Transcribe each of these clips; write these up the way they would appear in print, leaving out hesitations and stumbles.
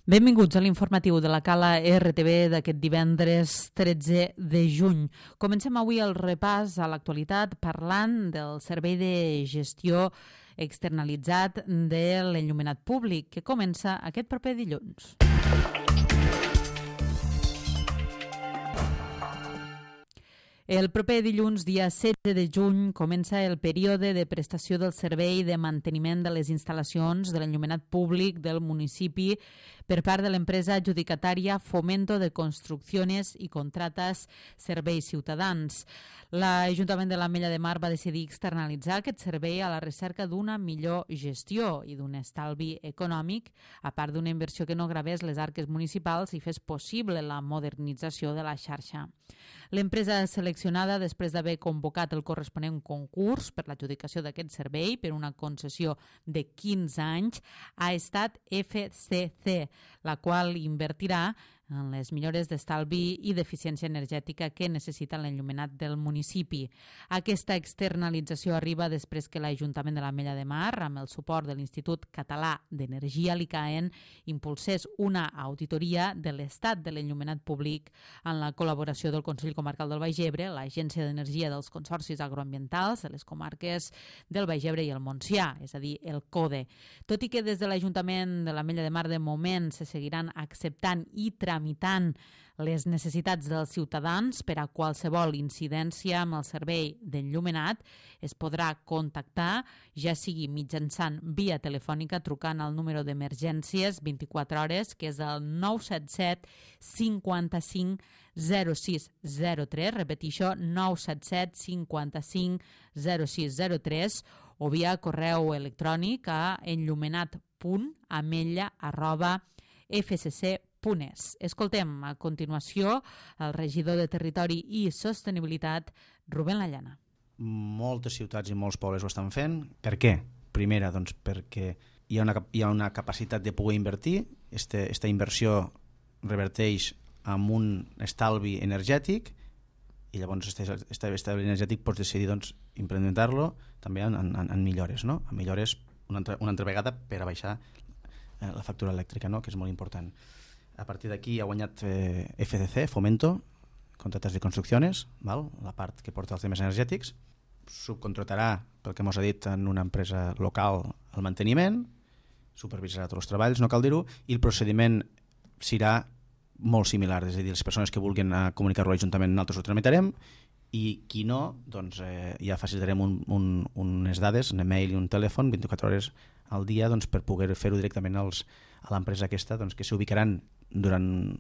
Benvinguts a l'informatiu de la Cala RTV d'aquest divendres 13 de juny. Comencem avui el repàs a l'actualitat parlant del servei de gestió externalitzat de l'enllumenat públic que comença aquest proper dilluns. El proper dilluns, dia 16 de juny, comença el període de prestació del servei de manteniment de les instal·lacions de l'enllumenat públic del municipi per part de l'empresa adjudicatària Fomento de Construcciones i Contratas Serveis Ciutadans. L'Ajuntament de l'Ametlla de Mar va decidir externalitzar aquest servei a la recerca d'una millor gestió i d'un estalvi econòmic, a part d'una inversió que no gravés les arques municipals i fes possible la modernització de la xarxa. L'empresa seleccionada, després d'haver convocat el corresponent concurs per l'adjudicació d'aquest servei per una concessió de 15 anys, ha estat FCC, la qual invertirà en les millores d'estalvi i d'eficiència energètica que necessita l'enllumenat del municipi. Aquesta externalització arriba després que l'Ajuntament de l'Ametlla de Mar, amb el suport de l'Institut Català d'Energia, l'ICAEN, impulsés una auditoria de l'estat de l'enllumenat públic en la col·laboració del Consell Comarcal del Baix Ebre, l'Agència d'Energia dels Consorcis Agroambientals de les comarques del Baix Ebre i el Montsià, és a dir, el CODE. Tot i que des de l'Ajuntament de l'Ametlla de Mar de moment se seguiran acceptant i tramitant les necessitats dels ciutadans per a qualsevol incidència amb el servei d'enllumenat, es podrà contactar, ja sigui mitjançant via telefònica trucant al número d'emergències 24 hores, que és el 977 55 0603, repetixo, 977 55 0603, o via correu electrònic a enllumenat.ametlla@fcc.es. Escoltem a continuació el regidor de Territori i Sostenibilitat, Rubén Lallana. Moltes ciutats i molts pobles ho estan fent. Per què? Primera, doncs, perquè hi ha una capacitat de poder invertir. Esta inversió reverteix amb un estalvi energètic i llavors aquest estalvi energètic pots decidir doncs, implementar-lo també en millores, no? En millores una altra vegada per a baixar la factura elèctrica, no? Que és molt important. A partir d'aquí ha guanyat FCC, Fomento, Contratas de Construcciones, val? La part que porta els temes energètics, subcontratarà, pel que mos ha dit, en una empresa local el manteniment, supervisarà tots els treballs, no cal dir-ho, i el procediment serà molt similar, és a dir, les persones que vulguin comunicar-ho a l'Ajuntament nosaltres ho tramitarem i qui no, doncs ja facilitarem unes dades, un email i un telèfon 24 hores al dia doncs, per poder fer-ho directament a l'empresa aquesta, doncs, que s'ubicaran durant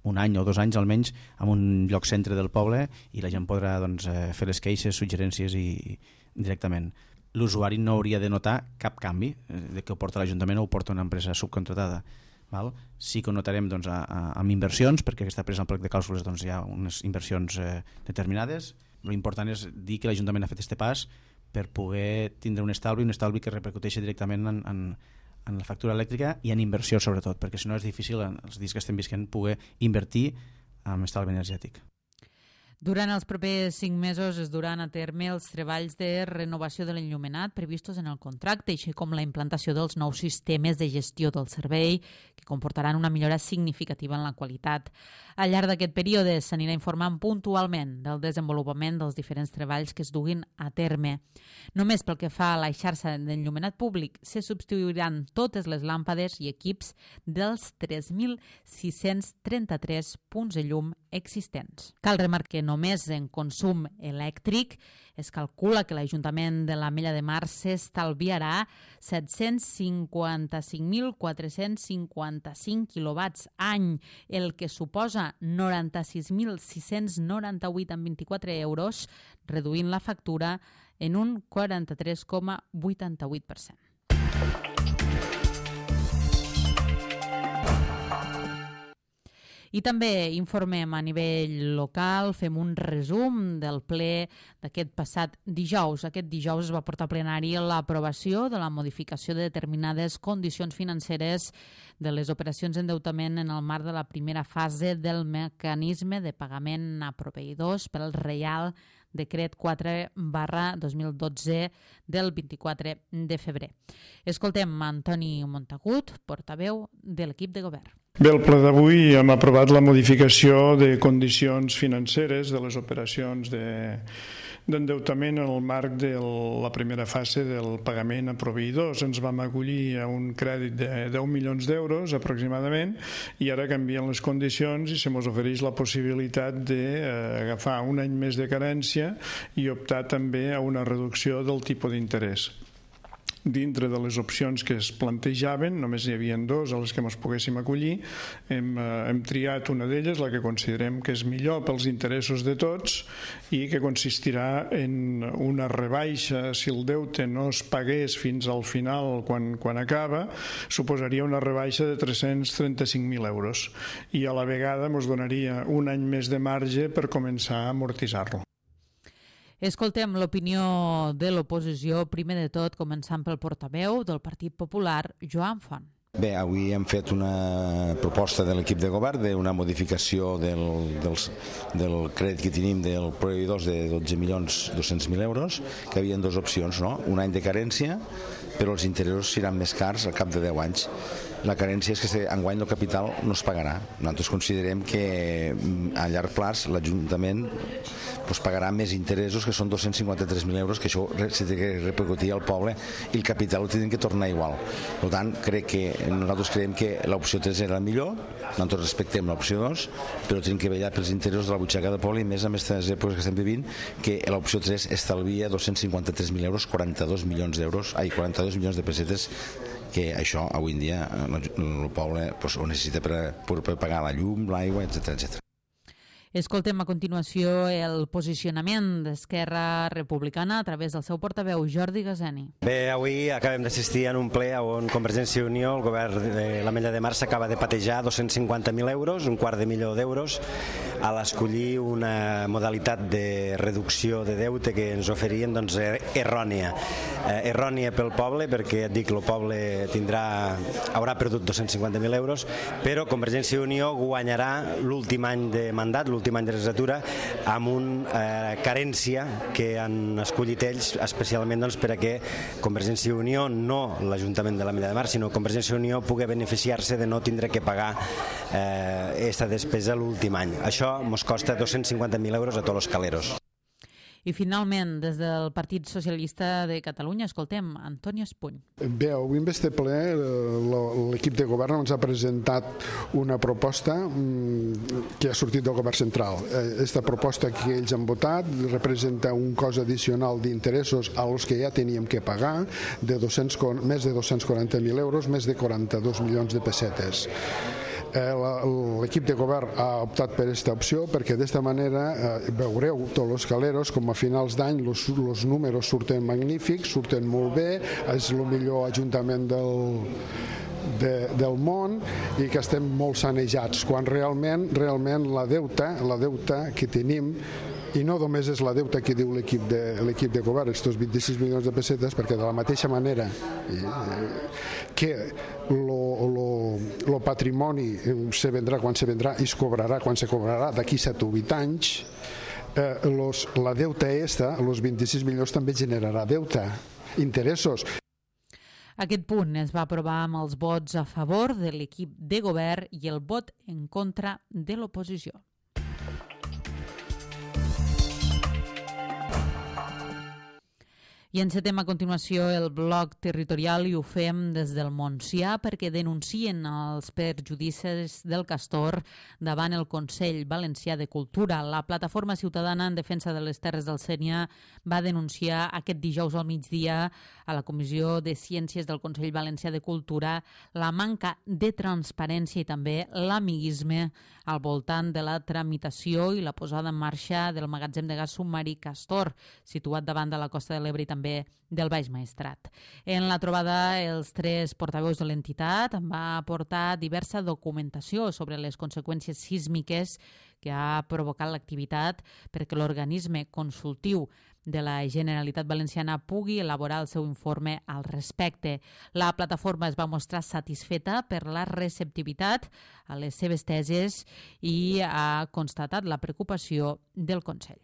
un any o 2 anys almenys en un lloc centre del poble i la gent podrà doncs, fer les queixes, suggerències i directament. L'usuari no hauria de notar cap canvi de que ho porta l'Ajuntament o ho porta una empresa subcontratada. Val? Sí que ho notarem doncs, amb inversions, perquè aquesta empresa en plec de clàusules doncs, hi ha unes inversions determinades. L'important és dir que l'Ajuntament ha fet aquest pas per poder tindre un estalvi que repercuteixi directament en la factura elèctrica i en inversió sobretot, perquè si no és difícil els dies que estem visquent poder invertir en estalvi energètic. Durant els propers 5 mesos es duran a terme els treballs de renovació de l'enllumenat previstos en el contracte, així com la implantació dels nous sistemes de gestió del servei, que comportaran una millora significativa en la qualitat. Al llarg d'aquest període s'anirà informant puntualment del desenvolupament dels diferents treballs que es duguin a terme. Només pel que fa a la xarxa d'enllumenat públic, se substituiran totes les làmpades i equips dels 3.633 punts de llum existents. Cal remarcar que només en consum elèctric es calcula que l'Ajuntament de l'Ametlla de Mar s'estalviarà 755.455 quilowatts any, el que suposa 96.698,24 euros, reduint la factura en un 43,88%. I també informem a nivell local, fem un resum del ple d'aquest passat dijous. Aquest dijous es va portar a plenari l'aprovació de la modificació de determinades condicions financeres de les operacions d'endeutament en el marc de la primera fase del mecanisme de pagament a proveïdors pel reial decret 4/2012 del 24 de febrer. Escoltem Antoni Montagut, portaveu de l'equip de govern. Bé, el ple d'avui hem aprovat la modificació de condicions financeres de les operacions d'endeutament en el marc de la primera fase del pagament a proveïdors. Ens vam acollir a un crèdit de 10 milions d'euros aproximadament i ara canvien les condicions i se mos ofereix la possibilitat d'agafar un any més de carència i optar també a una reducció del tipus d'interès. Dintre de les opcions que es plantejaven, només hi havia dues a les que ens poguéssim acollir. Hem triat una d'elles, la que considerem que és millor pels interessos de tots i que consistirà en una rebaixa. Si el deute no es pagués fins al final, quan acaba, suposaria una rebaixa de 335.000 euros i a la vegada ens donaria un any més de marge per començar a amortitzar-lo. Escoltem l'opinió de l'oposició, primer de tot començant pel portaveu del Partit Popular, Joan Font. Bé, avui hem fet una proposta de l'equip de govern d'una modificació del crèdit que tenim del proveïdors de 12.200.000 euros, que hi havia dues opcions, no? Un any de carència, però els interessos seran més cars al cap de 10 anys. La carència és que enguany el capital no es pagarà. Nosaltres considerem que a llarg plaç l'Ajuntament pagarà més interessos, que són 253.000 euros, que això s'ha de repercutir al poble i el capital ho tindrem que tornar igual. Per tant, nosaltres creiem que l'opció 3 era la millor, nosaltres respectem l'opció 2, però tenim que vetllar pels interessos de la butxaca del poble i més amb aquestes èpoques que estem vivint, que l'opció 3 estalvia 253.000 euros, 42 milions de pessetes, que això avui en dia el poble ho necessita per pagar la llum, l'aigua, etc. Escoltem a continuació el posicionament d'Esquerra Republicana a través del seu portaveu, Jordi Gazani. Bé, avui acabem d'assistir en un ple on Convergència i Unió, el govern de l'Ametlla de Mar, s'acaba de patejar 250.000 euros, $250.000, a l'escollir una modalitat de reducció de deute que ens oferien errònia. Errònia pel poble, perquè et dic, el poble haurà perdut 250.000 euros, però Convergència i Unió guanyarà l'últim any de mandat, l'últim any de legislatura, amb una carència que han escollit ells especialment perquè Convergència i Unió, no l'Ajuntament de l'Ametlla de Mar, sinó Convergència i Unió pugui beneficiar-se de no tindre que pagar aquesta despesa l'últim any. Això ens costa 250.000 euros a tots els caleros. I finalment, des del Partit Socialista de Catalunya, escoltem Antoni Espuny. Bé, avui en este ple l'equip de govern ens ha presentat una proposta que ha sortit del govern central. Aquesta proposta que ells han votat representa un cost addicional d'interessos a los que ja teníem que pagar de més de 240.000 euros, més de 42 milions de pessetes. L'equip de govern ha optat per aquesta opció perquè d'esta manera veureu tots els caleros com a finals d'any els números surten magnífics, surten molt bé, és el millor ajuntament del món i que estem molt sanejats, quan realment la deuta que tenim, i no només és la deuta que diu l'equip de govern, aquests 26 milions de pessetes, perquè de la mateixa manera que el patrimoni se vendrà quan se vendrà i es cobrarà quan se cobrarà d'aquí 7 o 8 anys, la deuta els 26 milions també generarà deuta, interessos. Aquest punt es va aprovar amb els vots a favor de l'equip de govern i el vot en contra de l'oposició. I encetem a continuació el bloc territorial i ho fem des del Montsià perquè denuncien els perjudicis del castor davant el Consell Valencià de Cultura. La Plataforma Ciutadana en Defensa de les Terres del Sénia va denunciar aquest dijous al migdia a la Comissió de Ciències del Consell Valencià de Cultura la manca de transparència i també l'amiguisme al voltant de la tramitació i la posada en marxa del magatzem de gas submarí Castor, situat davant de la Costa de l'Ebre i també del Baix Maestrat. En la trobada, els 3 portaveus de l'entitat va aportar diversa documentació sobre les conseqüències sísmiques que ha provocat l'activitat perquè l'organisme consultiu de la Generalitat Valenciana pugui elaborar el seu informe al respecte. La plataforma es va mostrar satisfeta per la receptivitat a les seves tesis i ha constatat la preocupació del Consell.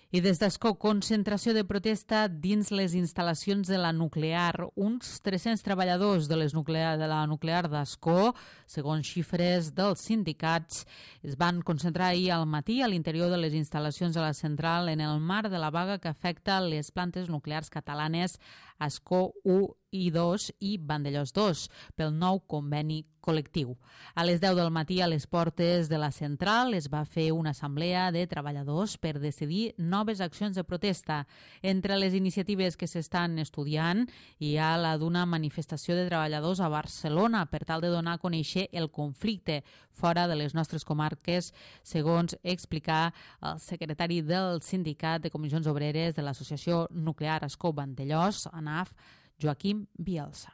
I des d'Ascó, concentració de protesta dins les instal·lacions de la nuclear. Uns 300 treballadors de la nuclear d'Ascó, segons xifres dels sindicats, es van concentrar ahir al matí a l'interior de les instal·lacions de la central en el marc de la vaga que afecta les plantes nuclears catalanes Ascó 1 i 2 i Vandellòs 2 pel nou conveni col·lectiu. A les 10 del matí a les portes de la central es va fer una assemblea de treballadors per decidir noves accions de protesta. Entre les iniciatives que s'estan estudiant hi ha la d'una manifestació de treballadors a Barcelona per tal de donar a conèixer el conflicte fora de les nostres comarques, segons explicar el secretari del Sindicat de Comissions Obreres de l'Associació Nuclear Ascó Vandellòs, ANAF, Joaquim Bielsa.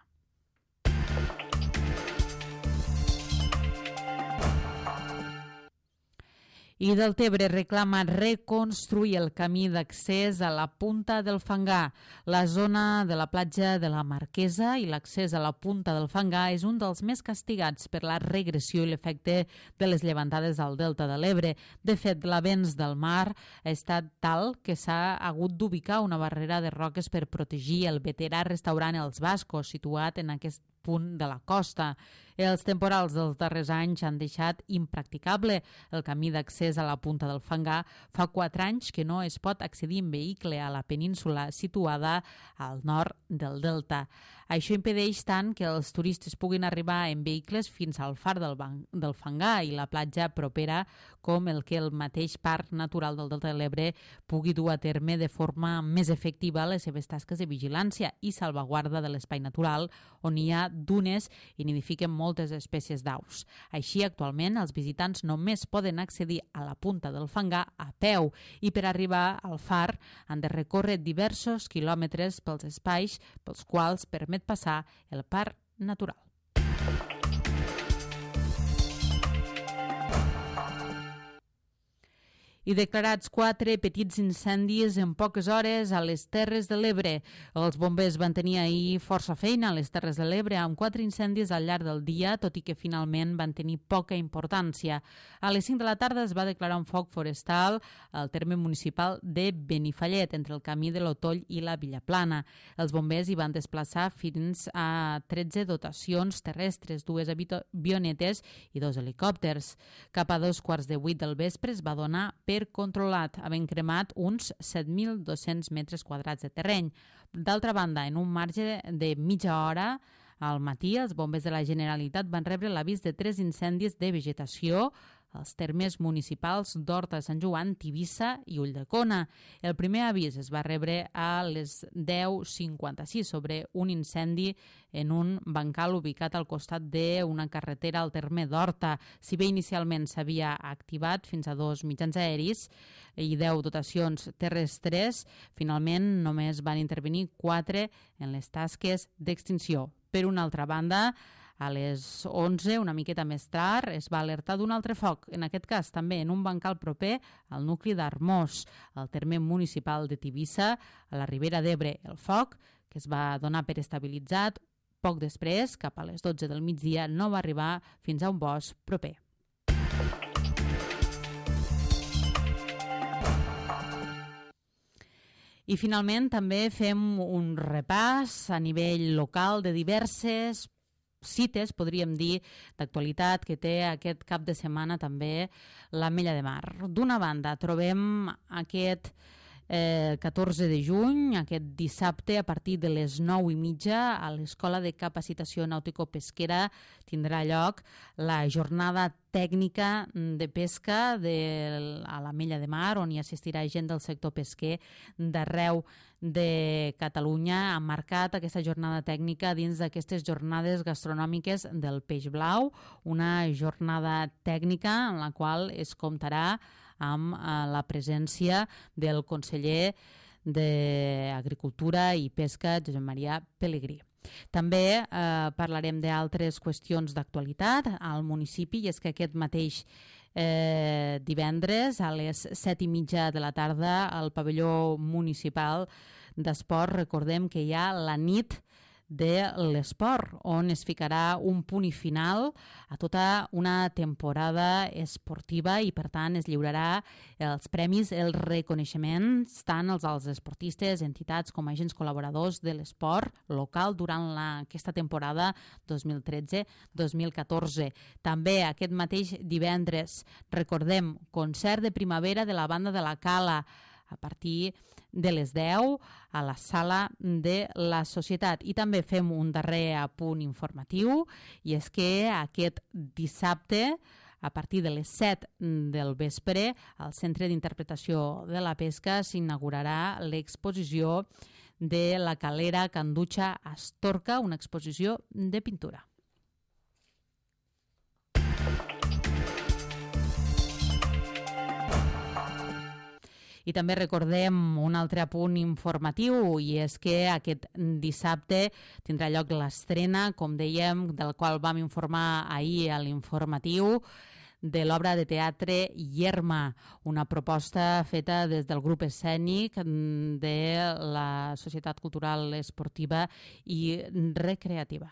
I Deltebre reclama reconstruir el camí d'accés a la Punta del Fangar. La zona de la platja de la Marquesa i l'accés a la Punta del Fangar és un dels més castigats per la regressió i l'efecte de les llevantades al Delta de l'Ebre. De fet, l'avenç del mar ha estat tal que s'ha hagut d'ubicar una barrera de roques per protegir el veterà restaurant Els Bascos, situat en aquest punt de la costa. Els temporals dels darrers anys han deixat impracticable el camí d'accés a la Punta del Fangar. Fa 4 anys que no es pot accedir en vehicle a la península situada al nord del Delta. Això impedeix tant que els turistes puguin arribar en vehicles fins al far del Fangar i la platja propera, com el que el mateix Parc Natural del Delta de l'Ebre pugui dur a terme de forma més efectiva les seves tasques de vigilància i salvaguarda de l'espai natural, on hi ha dunes i nidifiquen moltes espècies d'aus. Així, actualment, els visitants només poden accedir a la Punta del Fangar a peu i per arribar al far han de recórrer diversos quilòmetres pels espais pels quals permet passar el parc natural. I declarats 4 petits incendis en poques hores a les Terres de l'Ebre. Els bombers van tenir ahir força feina a les Terres de l'Ebre amb 4 incendis al llarg del dia, tot i que finalment van tenir poca importància. A les 5 de la tarda es va declarar un foc forestal al terme municipal de Benifallet, entre el camí de l'Otoll i la Villaplana. Els bombers hi van desplaçar fins a 13 dotacions terrestres, 2 avionetes i 2 helicòpters. Cap a 2:15 del vespre es va donar per controlat, havent cremat uns 7.200 metres quadrats de terreny. D'altra banda, en un marge de mitja hora, al matí, els bombers de la Generalitat van rebre l'avís de 3 incendis de vegetació als termes municipals d'Horta de Sant Joan, Tivissa i Ulldecona. El primer avís es va rebre a les 10:56 sobre un incendi en un bancal ubicat al costat d'una carretera al terme d'Horta. Si bé inicialment s'havia activat fins a 2 mitjans aeris i 10 dotacions terrestres, finalment només van intervenir 4 en les tasques d'extinció. Per una altra banda, a les 11, una miqueta més tard, es va alertar d'un altre foc, en aquest cas també en un bancal proper al nucli d'Armós, al terme municipal de Tivissa, a la Ribera d'Ebre. El foc, que es va donar per estabilitzat, poc després, cap a les 12 del migdia, no va arribar fins a un bosc proper. I finalment també fem un repàs a nivell local de diverses cites, podríem dir, d'actualitat que té aquest cap de setmana també l'Ametlla de Mar. D'una banda, trobem aquest 14 de juny, aquest dissabte, a partir de les 9:30, a l'Escola de Capacitació Nàutico-Pesquera tindrà lloc la jornada tècnica de pesca a l'Ametlla de Mar, on hi assistirà gent del sector pesquer d'arreu de Catalunya. Ha marcat aquesta jornada tècnica dins d'aquestes jornades gastronòmiques del Peix Blau, una jornada tècnica en la qual es comptarà amb la presència del conseller d'Agricultura i Pesca, Josep Maria Pelegrí. També parlarem d'altres qüestions d'actualitat al municipi, i és que aquest mateix divendres a les 7:30 de la tarda al pavelló municipal d'esport recordem que hi ha la nit de l'esport, on es ficarà un punt i final a tota una temporada esportiva i, per tant, es lliurarà els premis, els reconeixements, tant als esportistes, entitats com a agents col·laboradors de l'esport local durant aquesta temporada 2013-2014. També aquest mateix divendres, recordem, concert de primavera de la banda de la Cala, a partir de les 10 a la sala de la Societat. I també fem un darrer apunt informatiu, i és que aquest dissabte, a partir de les 7 del vespre, al Centre d'Interpretació de la Pesca s'inaugurarà l'exposició de la calera Canducha Astorca, una exposició de pintura. I també recordem un altre apunt informatiu, i és que aquest dissabte tindrà lloc l'estrena, com dèiem, del qual vam informar ahir a l'informatiu, de l'obra de teatre Yerma, una proposta feta des del grup escènic de la Societat Cultural Esportiva i Recreativa.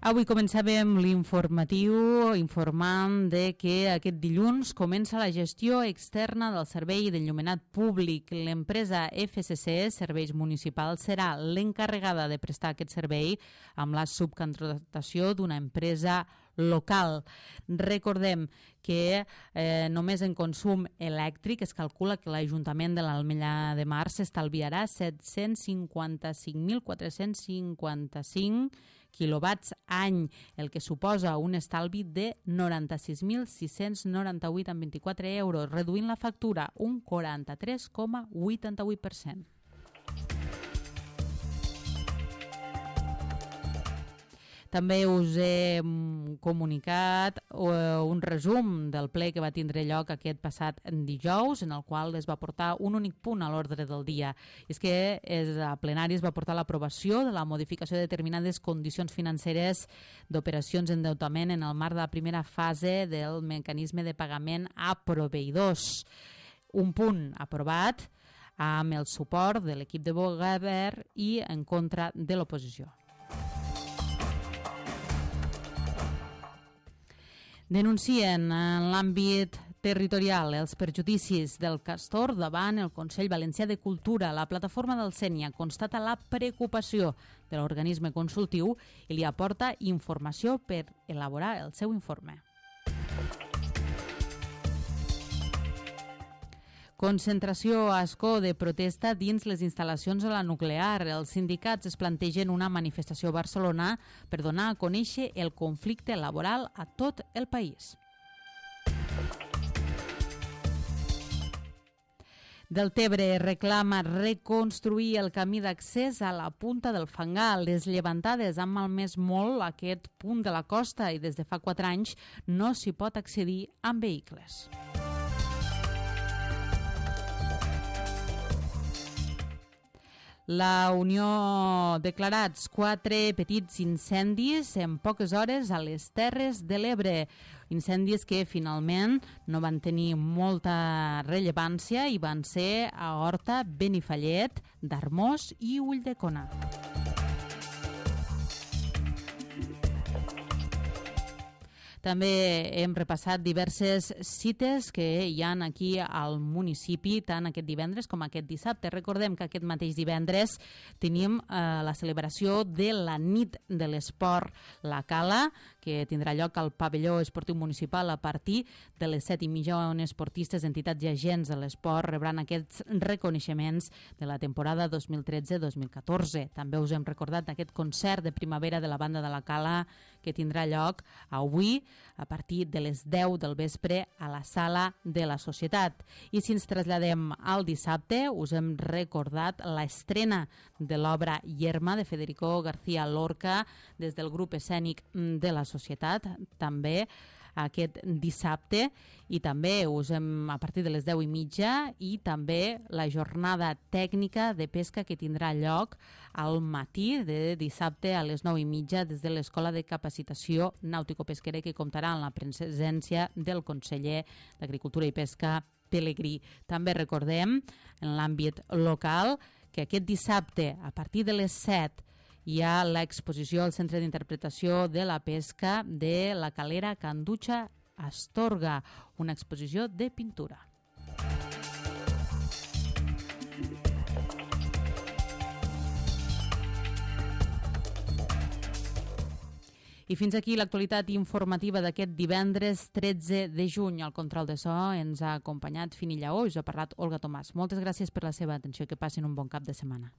Avui començàvem l'informatiu informant de que aquest dilluns comença la gestió externa del servei d'enllumenat públic. L'empresa FCC, Serveis Municipals, serà l'encarregada de prestar aquest servei amb la subcontractació d'una empresa local. Recordem que només en consum elèctric es calcula que l'Ajuntament de l'Ametlla de Mar s'estalviarà 754.455 quilowatts any, el que suposa un estalvi de 96.698,24 euros, reduint la factura un 43,88%. També us he comunicat un resum del ple que va tindre lloc aquest passat dijous, en el qual es va portar un únic punt a l'ordre del dia. I és que a plenari es va portar l'aprovació de la modificació de determinades condicions financeres d'operacions d'endeutament en el marc de la primera fase del mecanisme de pagament a proveïdors. Un punt aprovat amb el suport de l'equip de govern i en contra de l'oposició. Denuncien en l'àmbit territorial els perjudicis del castor davant el Consell Valencià de Cultura. La plataforma del Sénia constata la preocupació de l'organisme consultiu i li aporta informació per elaborar el seu informe. Concentració a Ascó de protesta dins les instal·lacions de la nuclear. Els sindicats es plantegen una manifestació a Barcelona per donar a conèixer el conflicte laboral a tot el país. Deltebre reclama reconstruir el camí d'accés a la punta del Fangar. Les llevantades han malmès molt aquest punt de la costa i des de fa 4 anys no s'hi pot accedir amb vehicles. La Unió ha declarat 4 petits incendis en poques hores a les Terres de l'Ebre. Incendis que finalment no van tenir molta rellevància i van ser a Horta, Benifallet, d'Armós i Ulldecona. També hem repassat diverses cites que hi ha aquí al municipi, tant aquest divendres com aquest dissabte. Recordem que aquest mateix divendres tenim la celebració de la nit de l'esport La Cala, que tindrà lloc al pavelló esportiu municipal a partir de les 7:30, on esportistes, entitats i agents de l'esport rebran aquests reconeixements de la temporada 2013-2014. També us hem recordat aquest concert de primavera de la banda de La Cala que tindrà lloc avui a partir de les 10 del vespre a la sala de la Societat. I si ens traslladem al dissabte, us hem recordat l'estrena de l'obra Yerma de Federico García Lorca des del grup escènic de la Societat. També aquest dissabte, i també a partir de les 10:30, i també la jornada tècnica de pesca que tindrà lloc al matí de dissabte a les 9:30 des de l'Escola de Capacitació Nàutico-Pesquera, que comptarà amb la presència del conseller d'Agricultura i Pesca, Pelegrí. També recordem, en l'àmbit local, que aquest dissabte, a partir de les 7, hi ha l'exposició al Centre d'Interpretació de la Pesca de la Calera Can Dutxa Astorga, una exposició de pintura. I fins aquí l'actualitat informativa d'aquest divendres 13 de juny. Al control de so ens ha acompanyat Fini Lleó i us ha parlat Olga Tomàs. Moltes gràcies per la seva atenció i que passin un bon cap de setmana.